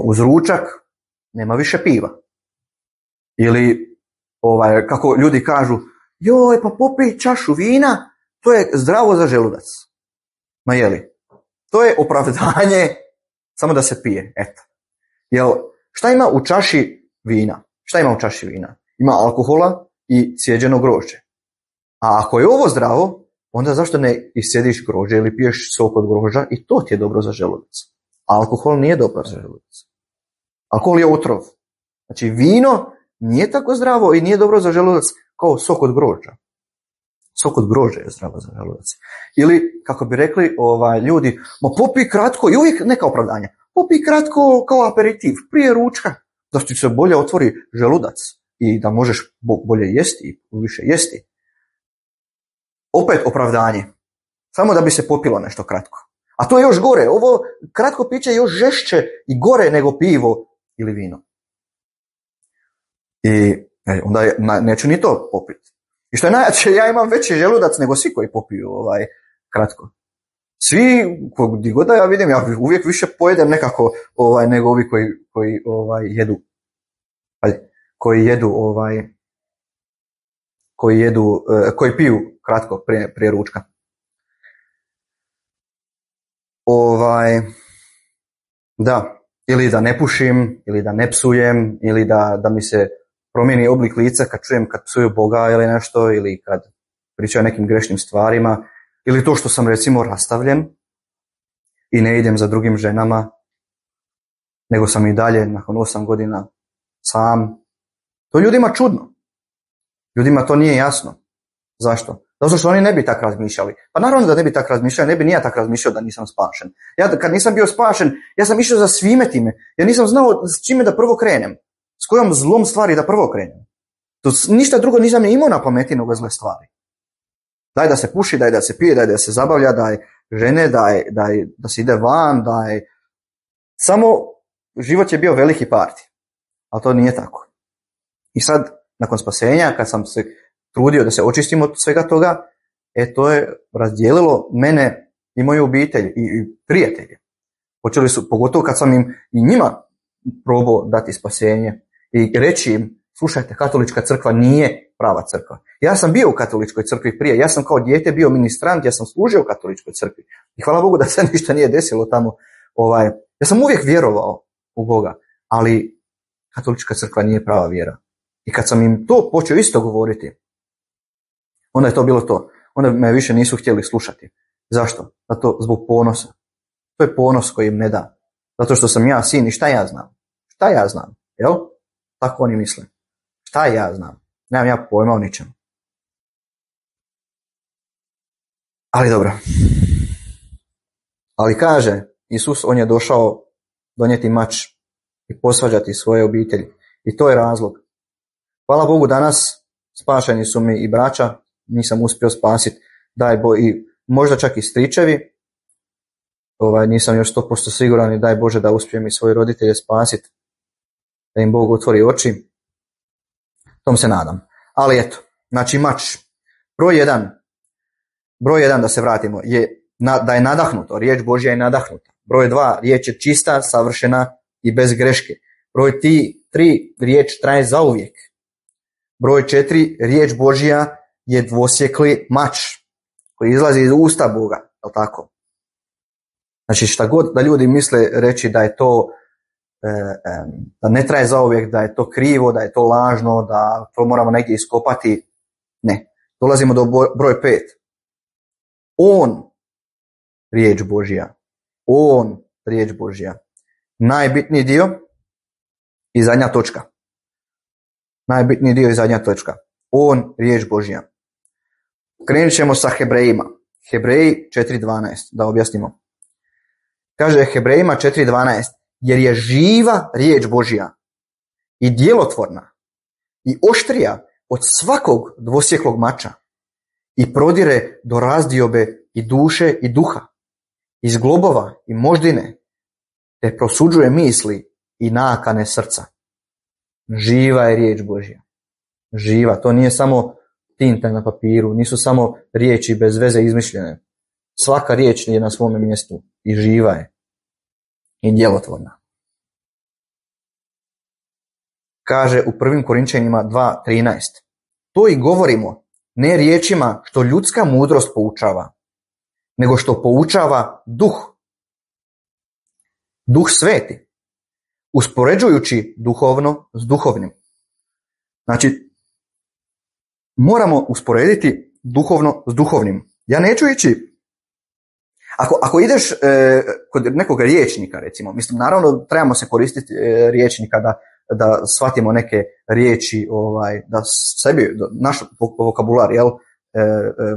Uz ručak nema više piva. Ili kako ljudi kažu, joj, pa popij čašu vina, to je zdravo za želudac. Ma jeli? To je opravdanje samo da se pije, eto. Šta ima u čaši vina? Ima alkohola i cijeđeno grožđe. A ako je ovo zdravo, onda zašto ne iscijediš grožđe ili piješ sok od grožđa i to ti je dobro za želudac. Alkohol nije dobar za želudac. Alkohol je otrov. Znači vino nije tako zdravo i nije dobro za želudac kao sok od grožđa. Sok od grožđa je zdravo za želudac. Ili, kako bi rekli ljudi, ma popij kratko, i uvijek neka opravdanja, popij kratko kao aperitiv, prije ručka, da ti se bolje otvori želudac i da možeš bolje jesti i više jesti. Opet opravdanje, samo da bi se popilo nešto kratko. A to je još gore, ovo kratko piće je još žešće i gore nego pivo ili vino. I onda neću ni to popiti. I što je najjače, ja imam veći želudac nego svi koji popiju kratko. Svi, gdje god da ja vidim, ja uvijek više pojedem nekako nego ovi koji jedu. Koji piju kratko prije ručka. Da, ili da ne pušim, ili da ne psujem, ili da mi se promijeni oblik lica kad psuju Boga ili nešto, ili kad pričaju o nekim grešnim stvarima, ili to što sam recimo rastavljen i ne idem za drugim ženama, nego sam i dalje nakon 8 godina sam. To ljudima čudno. Ljudima to nije jasno. Zašto? Zato što oni ne bi tako razmišljali. Pa naravno da ne bi tako razmišljali, ne bi ni ja tako razmišljao da nisam spašen. Ja kad nisam bio spašen, ja sam išao za svime time. Ja nisam znao s čime da prvo krenem. S kojom zlom stvari da prvo krenem. To ništa drugo nisam imao na pameti nego zle stvari. Daj da se puši, daj da se pije, daj da se zabavlja, daj žene, da se ide van, samo život je bio veliki parti. Ali to nije tako. I sad, nakon spasenja, kad sam se trudio da se očistim od svega toga, to je razdijelilo mene i moju obitelj i prijatelje. Počeli su, pogotovo kad sam im i njima probao dati spasenje i reći im, slušajte, katolička crkva nije prava crkva. Ja sam bio u katoličkoj crkvi prije, ja sam kao dijete bio ministrant, ja sam služio u katoličkoj crkvi. I hvala Bogu da se ništa nije desilo tamo. Ja sam uvijek vjerovao u Boga, ali katolička crkva nije prava vjera. I kad sam im to počeo isto govoriti, onda je to bilo to. Onda me više nisu htjeli slušati. Zašto? Zato zbog ponosa. To je ponos koji im ne da. Zato što sam ja sin i šta ja znam? Šta ja znam? Jel? Tako oni misle. Šta ja znam? Nemam ja pojma o ničemu. Ali dobro. Ali kaže Isus, on je došao donijeti mač i posvađati svoje obitelji. I to je razlog. Hvala Bogu, danas spašeni su mi i braća, nisam uspio spasiti, i možda čak i stričevi, nisam još 100% siguran i daj Bože da uspijem i svoje roditelje spasiti, da im Bog otvori oči, tom se nadam. Ali eto, znači mač, broj jedan da se vratimo, je da je nadahnuto, riječ Božja je nadahnuta. Broj 2, riječ je čista, savršena, i bez greške. Broj 3, riječ traje zauvijek. Broj 4, riječ Božja je dvosjekli mač koji izlazi iz usta Boga, je li tako? Znači šta god da ljudi misle reći da je to da ne traje zauvijek, da je to krivo, da je to lažno, da to moramo negdje iskopati, ne. Dolazimo do broj 5. On, riječ Božja. On, riječ Božja. Najbitniji dio i zadnja točka. Najbitniji dio i zadnja točka. On, riječ Božja. Krenut ćemo sa Hebrejima. Hebreji 4.12, da objasnimo. Kaže Hebrejima 4.12, jer je živa riječ Božja i djelotvorna i oštrija od svakog dvosjeklog mača i prodire do razdiobe i duše i duha, iz globova i moždine, te prosuđuje misli i nakane srca. Živa je riječ Božja. Živa, to nije samo tinta na papiru, nisu samo riječi bez veze izmišljene. Svaka riječ je na svome mjestu i živa je i djelotvorna. Kaže u 1. Korinčanima 2.13. To i govorimo, ne riječima što ljudska mudrost poučava, nego što poučava duh. Duh sveti, uspoređujući duhovno s duhovnim. Znači, moramo usporediti duhovno s duhovnim. Ja neću ići, ako ideš kod nekog riječnika, recimo, mislim, naravno trebamo se koristiti riječnika da shvatimo neke riječi, da sebi, naš vokabular,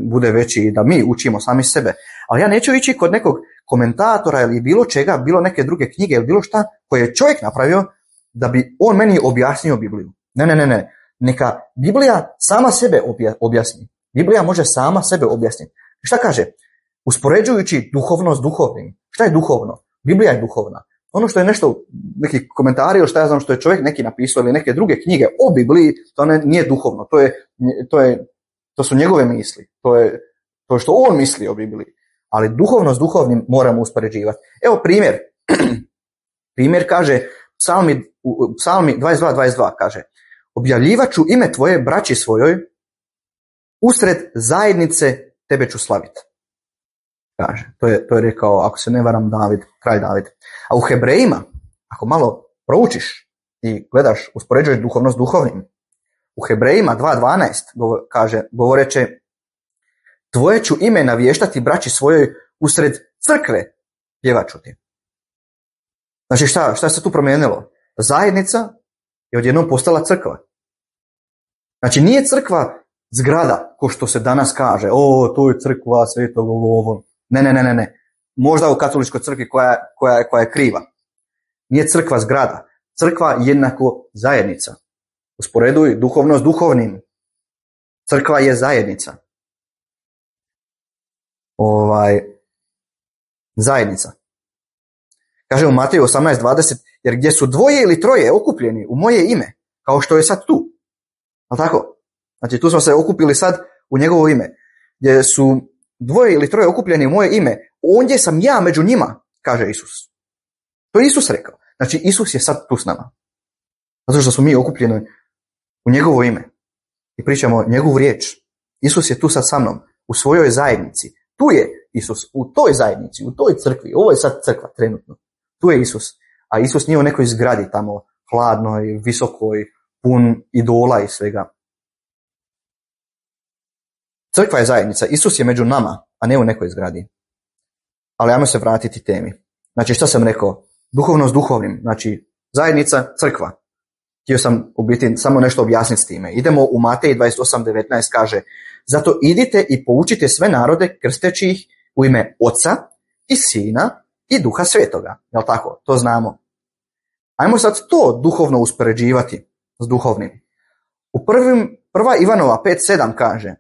bude veći i da mi učimo sami sebe. Ali ja neću ići kod nekog komentatora ili bilo čega, bilo neke druge knjige ili bilo šta koje je čovjek napravio da bi on meni objasnio Bibliju. Ne. Neka Biblija sama sebe objasni. Biblija može sama sebe objasniti. Šta kaže? Uspoređujući duhovno s duhovnim. Šta je duhovno? Biblija je duhovna. Ono što je nešto, neki komentari ili šta ja znam što je čovjek neki napisao ili neke druge knjige o Bibliji, to nije duhovno. To su njegove misli. To je što on misli o Bibliji. Ali duhovno s duhovnim moramo uspoređivati. Evo primjer. Primjer kaže, Psalmi 22.22 kaže, objavljivat ću ime tvoje braći svojoj, usred zajednice tebe ću slaviti. Kaže, to je rekao, ako se ne varam, kralj David. A u Hebrejima, ako malo proučiš i gledaš, uspoređuješ duhovno s duhovnim, u Hebrejima 2.12 kaže, govoreće, tvoje ću ime navještati braći svojoj usred crkve, pjevat ću ti. Znači šta se tu promijenilo? Zajednica je odjednom postala crkva. Znači nije crkva zgrada, ko što se danas kaže, to je crkva Svetog ovo. Ne. Možda u katoličkoj crkvi koja je kriva. Nije crkva zgrada. Crkva jednako zajednica. Usporeduj duhovno s duhovnim. Crkva je zajednica. Zajednica. Kaže u Mateju 18.20, jer gdje su dvoje ili troje okupljeni u moje ime, kao što je sad tu. Ali tako? Znači tu smo se okupili sad u njegovo ime. Gdje su dvoje ili troje okupljeni u moje ime, ondje sam ja među njima, kaže Isus. To je Isus rekao. Znači Isus je sad tu s nama. Zato što smo mi okupljeni u njegovo ime. I pričamo njegovu riječ. Isus je tu sad sa mnom, u svojoj zajednici. Tu je Isus, u toj zajednici, u toj crkvi. Ovo je sad crkva trenutno. Tu je Isus. A Isus nije u nekoj zgradi tamo, hladnoj, visokoj, pun idola i svega. Crkva je zajednica. Isus je među nama, a ne u nekoj zgradi. Ali ajmo se vratiti temi. Znači šta sam rekao? Duhovno s duhovnim. Znači zajednica, crkva. Htio sam u biti samo nešto objasniti s time. Idemo u Mateji 28.19 kaže, zato idite i poučite sve narode krsteći ih u ime Oca i Sina i Duha Svetoga. Jel tako? To znamo. Ajmo sad to duhovno uspoređivati s duhovnim. U prva Ivanova 5.7 kaže,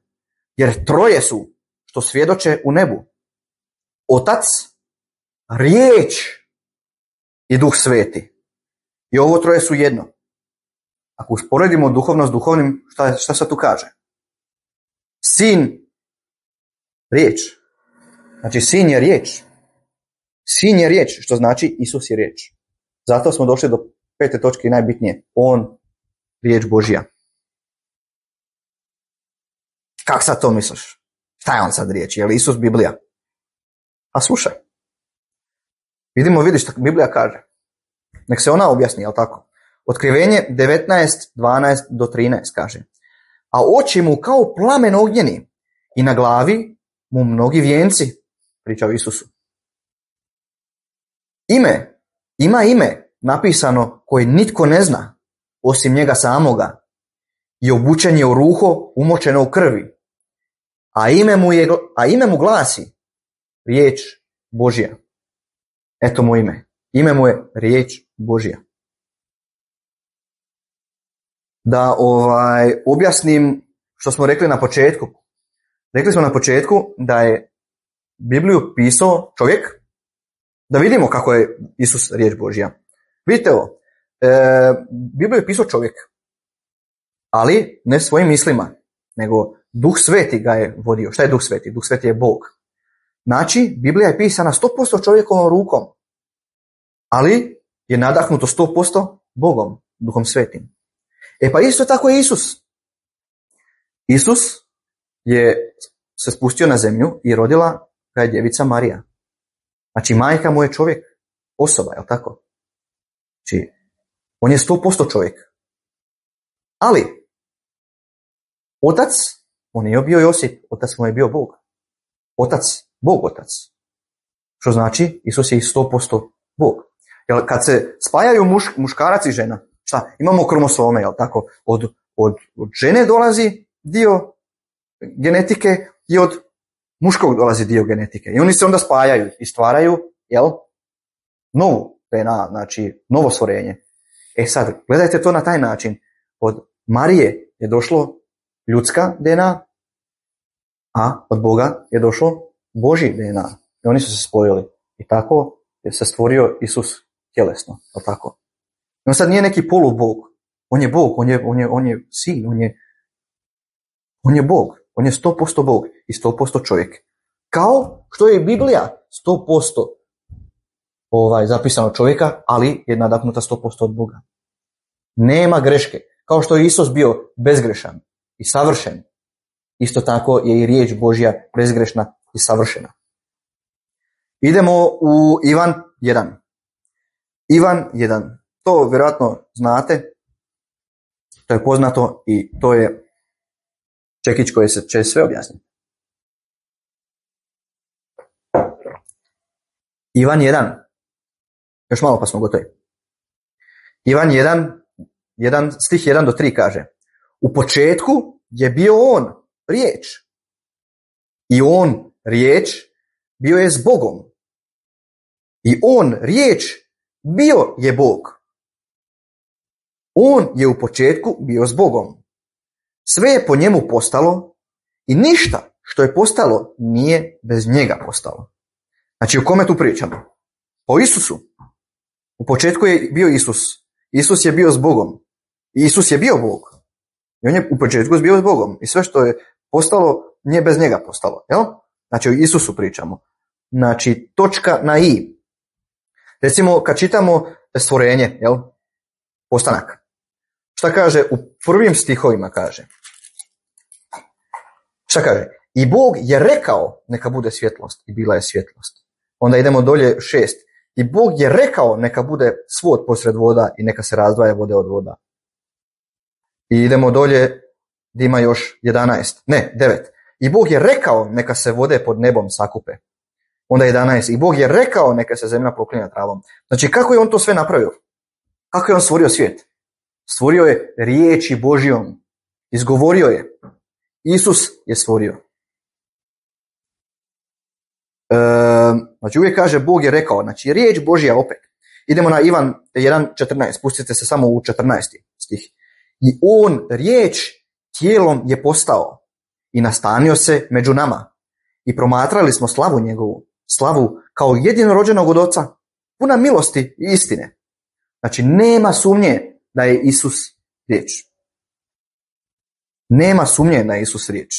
jer troje su što svjedoče u nebu. Otac, riječ i Duh Sveti. I ovo troje su jedno. Ako usporedimo duhovno s duhovnim, šta se tu kaže? Sin, riječ. Znači sin je riječ. Sin je riječ, što znači Isus je riječ. Zato smo došli do 5. točke i najbitnije. On, riječ Božja. Kak sad to misliš? Šta je on sad riječ? Je li Isus Biblija? A slušaj. Vidiš što Biblija kaže. Nek se ona objasni, jel tako? Otkrivenje 19:12 do 13 kaže. A oči mu kao plamen ognjeni i na glavi mu mnogi vijenci, priča o Isusu. Ima ime napisano koje nitko ne zna, osim njega samoga, i obučen je u ruho umočeno u krvi, a ime mu glasi riječ Božja. Eto mu ime. Ime mu je riječ Božja. Da objasnim što smo rekli na početku. Rekli smo na početku da je Bibliju pisao čovjek, da vidimo kako je Isus riječ Božja. Vidite ovo, Bibliju je pisao čovjek, ali ne svojim mislima, nego Duh Sveti ga je vodio. Šta je Duh Sveti? Duh Sveti je Bog. Znači, Biblija je pisana 100% čovjekovom rukom, ali je nadahnuto 100% Bogom, Duhom Svetim. Pa isto tako je Isus. Isus je se spustio na zemlju i rodila ga je djevica Marija. Znači, majka mu je čovjek, osoba, je li tako? Znači, on je 100% čovjek. Ali, otac, on je bio Josip, otac mu je bio Bog. Otac, Bog otac. Što znači, Isus je i 100% Bog. Jer kad se spajaju muškarac i žena, šta? Imamo kromosome, jel tako? Od žene dolazi dio genetike i od muškog dolazi dio genetike. I oni se onda spajaju i stvaraju, jel? Novu DNA, znači novo stvorenje. Sad, gledajte to na taj način. Od Marije je došlo ljudska DNA, a od Boga je došlo Božji DNA. I oni su se spojili. I tako je se stvorio Isus tjelesno, jel tako? On sad nije neki polubog. On je Bog, on je sin, on je Bog. On je 100% Bog i 100% čovjek. Kao što je Biblija 100% zapisano čovjeka, ali je nadahnuta 100% od Boga. Nema greške. Kao što je Isus bio bezgrešan i savršen, isto tako je i riječ Božja bezgrešna i savršena. Idemo u Ivan 1. Ivan 1. To vjerojatno znate, to je poznato i to je čekić koji će sve objasniti. Ivan 1. Još malo pa smo gotovi. Ivan 1, stih 1 do 3 kaže: U početku je bio on, riječ. I on, riječ, bio je s Bogom. I on, riječ, bio je Bog. On je u početku bio s Bogom. Sve je po njemu postalo i ništa što je postalo nije bez njega postalo. Znači, o kome tu pričamo? O Isusu. U početku je bio Isus. Isus je bio s Bogom. Isus je bio Bog. I on je u početku bio s Bogom. I sve što je postalo nije bez njega postalo. Jel? Znači, o Isusu pričamo. Znači, točka na i. Recimo, kad čitamo stvorenje, jel? Postanak. Šta kaže u prvim stihovima kaže? Šta kaže? I Bog je rekao neka bude svjetlost i bila je svjetlost. Onda idemo dolje 6. I Bog je rekao neka bude svod posred voda i neka se razdvaja vode od voda. I idemo dolje gdje ima još 9. I Bog je rekao neka se vode pod nebom sakupe. Onda 11. I Bog je rekao neka se zemlja poklinja travom. Znači, kako je on to sve napravio? Kako je on stvorio svijet? Stvorio je riječi Božjom. Izgovorio je. Isus je stvorio. Znači, uvijek kaže Bog je rekao. Znači, riječ Božja opet. Idemo na Ivan 1.14. Spustite se samo u 14. stih. I on, riječ, tijelom je postao i nastanio se među nama. I promatrali smo slavu njegovu. Slavu kao jedinorođenog od Oca. Puna milosti i istine. Znači, nema sumnje da je Isus riječ. Nema sumnje da je Isus riječ.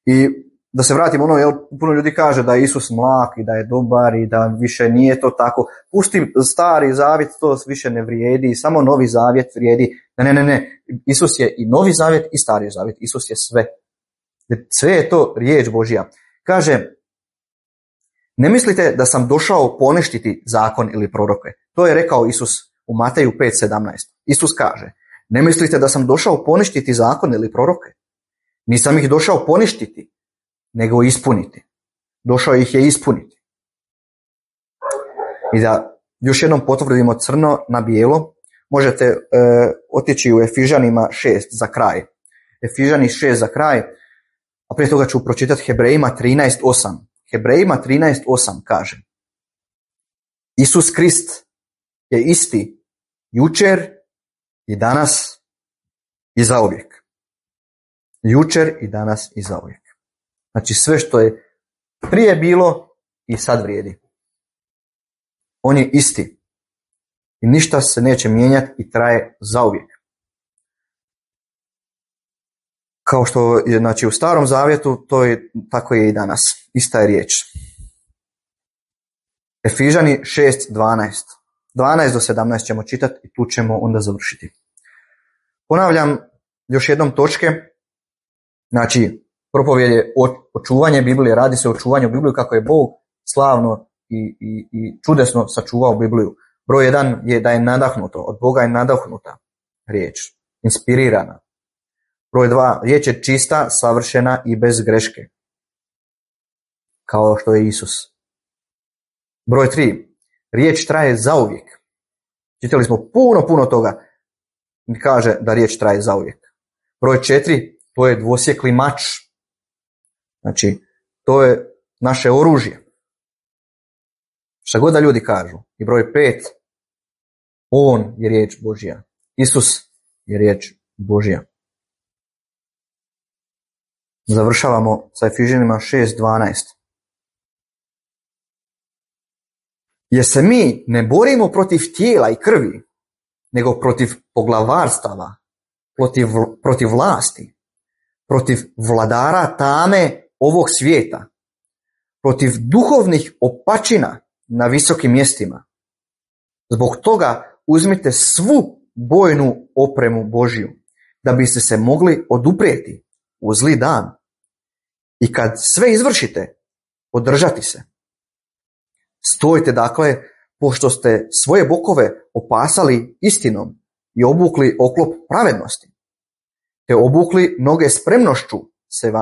I da se vratimo puno ljudi kaže da je Isus mlak i da je dobar i da više nije to tako. Pusti stari zavjet, to više ne vrijedi, samo novi zavjet vrijedi. Ne. Isus je i novi zavjet i stari zavjet. Isus je sve. Sve je to riječ Božja. Kaže, ne mislite da sam došao poništiti zakon ili proroke. To je rekao Isus u Mateju 5:17. Isus kaže, ne mislite da sam došao poništiti zakon ili proroke. Nisam ih došao poništiti, nego ispuniti. Došao ih je ispuniti. I da još jednom potvrdimo crno na bijelo, možete otići u Efežanima 6 za kraj. Efežani 6 za kraj, a prije toga ću pročitati Hebrejima 13:8. Hebrejima 13:8 kaže, Isus Krist je isti jučer i danas i zauvijek. Jučer i danas i zauvijek. Znači sve što je prije bilo i sad vrijedi. On je isti. I ništa se neće mijenjati i traje zauvijek. Kao što je znači, u Starom zavjetu, tako je i danas. Ista je riječ. Efežani 6:12. 12 do 17 ćemo čitati i tu ćemo onda završiti. Ponavljam još jednom točke. Znači, propovjed je očuvanje Biblije, radi se o očuvanju Biblije kako je Bog slavno i čudesno sačuvao Bibliju. Broj 1 je da je nadahnuto, od Boga je nadahnuta riječ, inspirirana. Broj 2, riječ je čista, savršena i bez greške, kao što je Isus. Broj 3, riječ traje zauvijek. Čitali smo puno toga, kaže da riječ traje zauvijek. Broj 4, to je dvosjekli mač. Znači, to je naše oružje. Šta god da ljudi kažu. I broj 5, on je riječ Božja. Isus je riječ Božja. Završavamo sa Efežanima 6:12. Jer se mi ne borimo protiv tijela i krvi, nego protiv poglavarstava, protiv vlasti, protiv vladara tame ovog svijeta, protiv duhovnih opačina na visokim mjestima. Zbog toga uzmite svu bojnu opremu Božju, da biste se mogli oduprijeti u zli dan i kad sve izvršite, održati se. Stojite dakle, pošto ste svoje bokove opasali istinom i obukli oklop pravednosti, te obukli noge spremnošću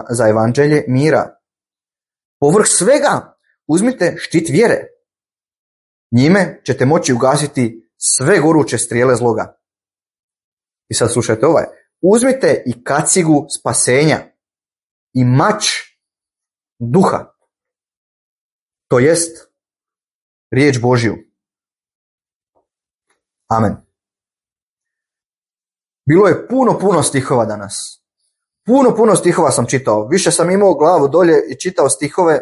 za evanđelje mira. Povrh svega uzmite štit vjere. Njime ćete moći ugasiti sve goruće strijele zloga. I sad slušajte ovaj. Uzmite i kacigu spasenja i mač duha, to jest riječ Božju. Amen. Bilo je puno stihova danas. Puno stihova sam čitao. Više sam imao glavu dolje i čitao stihove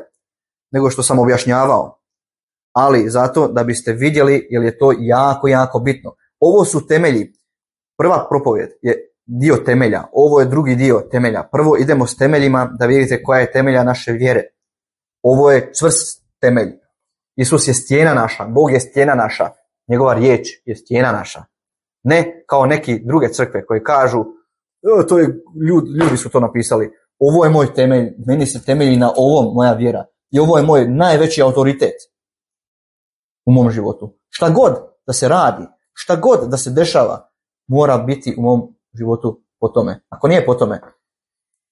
nego što sam objašnjavao. Ali zato da biste vidjeli, jer je to jako bitno. Ovo su temelji. Prva propovjed je dio temelja. Ovo je drugi dio temelja. Prvo idemo s temeljima da vidite koja je temelja naše vjere. Ovo je čvrst temelj. Isus je stijena naša. Bog je stijena naša. Njegova riječ je stijena naša. Ne kao neki druge crkve koji kažu to je, ljudi su to napisali. Ovo je moj temelj. Meni se temelji na ovom moja vjera. I ovo je moj najveći autoritet u mom životu. Šta god da se radi, šta god da se dešava, mora biti u mom životu po tome. Ako nije po tome,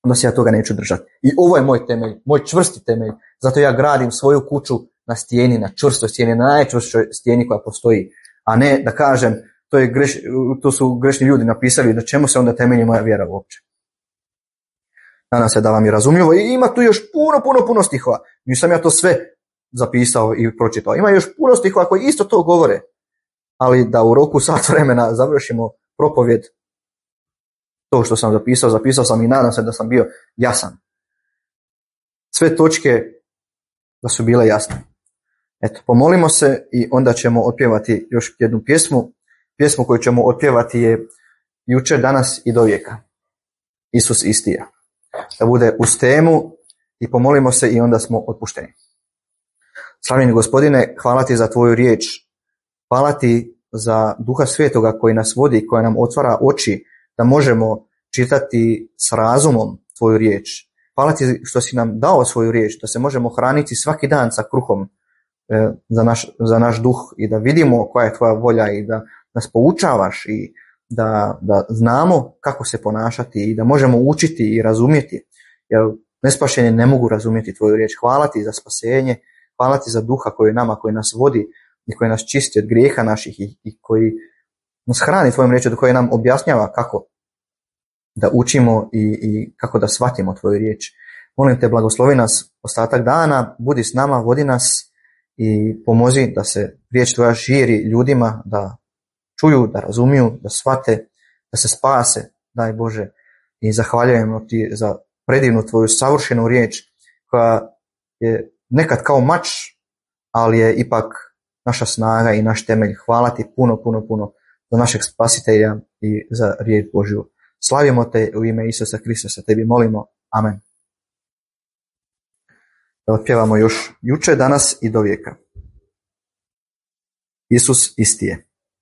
onda se ja toga neću držati. I ovo je moj temelj, moj čvrsti temelj. Zato ja gradim svoju kuću na stijeni, na čvrstoj stijeni, na najčvršćoj stijeni koja postoji. A ne da kažem, to su grešni ljudi napisali, na čemu se onda temelji moja vjera uopće. Nadam se da vam je razumljivo. I ima tu još puno stihova. Nisam ja to sve zapisao i pročitao. Ima još puno stihova koji isto to govore. Ali da u roku sat vremena završimo propovjed, to što sam zapisao sam i nadam se da sam bio jasan. Sve točke da su bile jasne. Eto, pomolimo se i onda ćemo otpjevati još jednu pjesmu. Pjesmu koju ćemo otpjevati je Jučer, danas i do vijeka. Isus isti je. Da bude uz temu i pomolimo se i onda smo otpušteni. Slavljeni Gospodine, hvala ti za tvoju riječ. Hvala ti za Duha Svetoga koji nas vodi, koja nam otvara oči da možemo čitati s razumom tvoju riječ. Hvala ti što si nam dao svoju riječ, da se možemo hraniti svaki dan sa kruhom za naš duh i da vidimo koja je tvoja volja i da nas poučavaš i da znamo kako se ponašati i da možemo učiti i razumjeti. Jer nespašeni ne mogu razumjeti tvoju riječ. Hvala ti za spasenje, hvala ti za Duha koji je nama, koji nas vodi i koji nas čisti od grijeha naših i koji nas hrani tvojom riječju, koji nam objašnjava kako da učimo i kako da shvatimo tvoju riječ. Molim te, blagoslovi nas ostatak dana, budi s nama, vodi nas i pomozi da se riječ tvoja širi ljudima, da čuju, da razumiju, da shvate, da se spase, daj Bože. I zahvaljujemo ti za predivnu tvoju savršenu riječ koja je nekad kao mač, ali je ipak naša snaga i naš temelj. Hvala ti puno za našeg spasitelja i za riječ Božju. Slavimo te u ime Isusa Kristusa, tebi molimo. Amen. Da otpjevamo još juče, danas i do vijeka. Isus isti je.